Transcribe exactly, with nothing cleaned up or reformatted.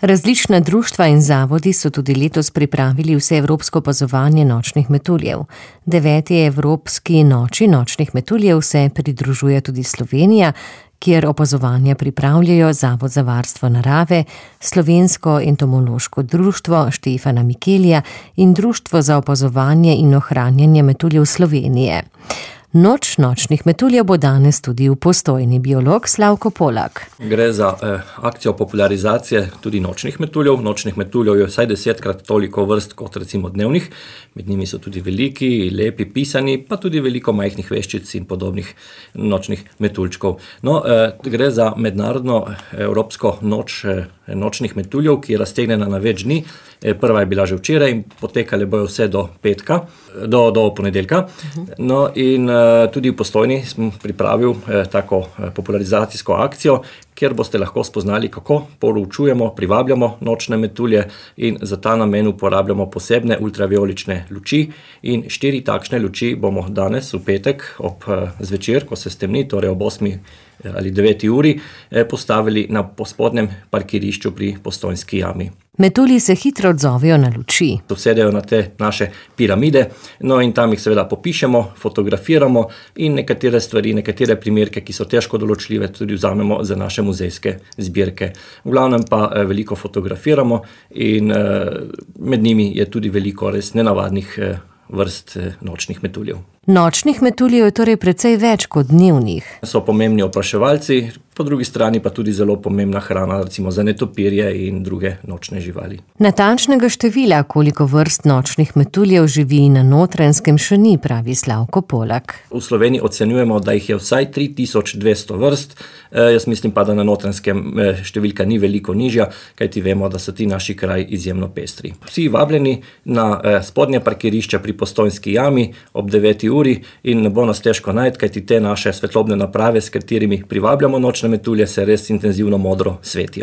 Različna društva in zavodi so tudi letos pripravili vseevropsko opazovanje nočnih metuljev. Deveti Evropski noči nočnih metuljev se pridružuje tudi Slovenija, kjer opazovanja pripravljajo Zavod za varstvo narave, Slovensko entomološko društvo Štefana Mikelija in Društvo za opazovanje in ohranjanje metuljev Slovenije. Noč nočnih metuljev bo danes tudi v Postojni. Biolog Slavko Polak. Gre za eh, akcijo popularizacije tudi nočnih metuljev. Nočnih metuljev je vsaj desetkrat toliko vrst kot recimo dnevnih. Med njimi so tudi veliki, lepi, pisani, pa tudi veliko majhnih veščic in podobnih nočnih metuljčkov. No, eh, gre za mednarodno evropsko noč eh, nočnih metuljev, ki je raztegnjena na več dni. Eh, prva je bila že včeraj in potekale bojo vse do petka, do, do ponedeljka. No, in eh, tudi v Postojni sem pripravil eh, tako eh, popularizacijsko akcijo, kjer boste lahko spoznali, kako poročujemo, privabljamo nočne metulje in za ta namen uporabljamo posebne ultraviolične luči. In štiri takšne luči bomo danes v petek ob eh, zvečer, ko se stemni, torej ob osmi ali deveti uri, eh, postavili na spodnjem parkirišču pri Postojnski jami. Metulji se hitro odzovejo na luči. Sedejo na te naše piramide, no in tam jih seveda popišemo, fotografiramo in nekatere stvari, nekatere primerke, ki so težko določljive, tudi vzamemo za naše muzejske zbirke. V glavnem pa eh, veliko fotografiramo in eh, med njimi je tudi veliko res nenavadnih eh, vrst eh, nočnih metuljev. Nočnih metuljev je torej precej več kot dnevnih. So pomembni opraševalci, po drugi strani pa tudi zelo pomembna hrana, recimo za netopirje in druge nočne živali. Natančnega števila, koliko vrst nočnih metuljev živi na Notranjskem, še ni, pravi Slavko Polak. V Sloveniji ocenjujemo, da jih je vsaj tri tisoč dvesto vrst. E, jaz mislim pa, da na Notranjskem številka ni veliko nižja, kajti vemo, da so ti naši kraji izjemno pestri. Vsi vabljeni na eh, spodnje parkirišče pri Postojnski jami ob deveti uri in ne bo nas težko najti, kajti te naše svetlobne naprave, s katerimi privabljamo nočne metulje, se res intenzivno modro svetijo.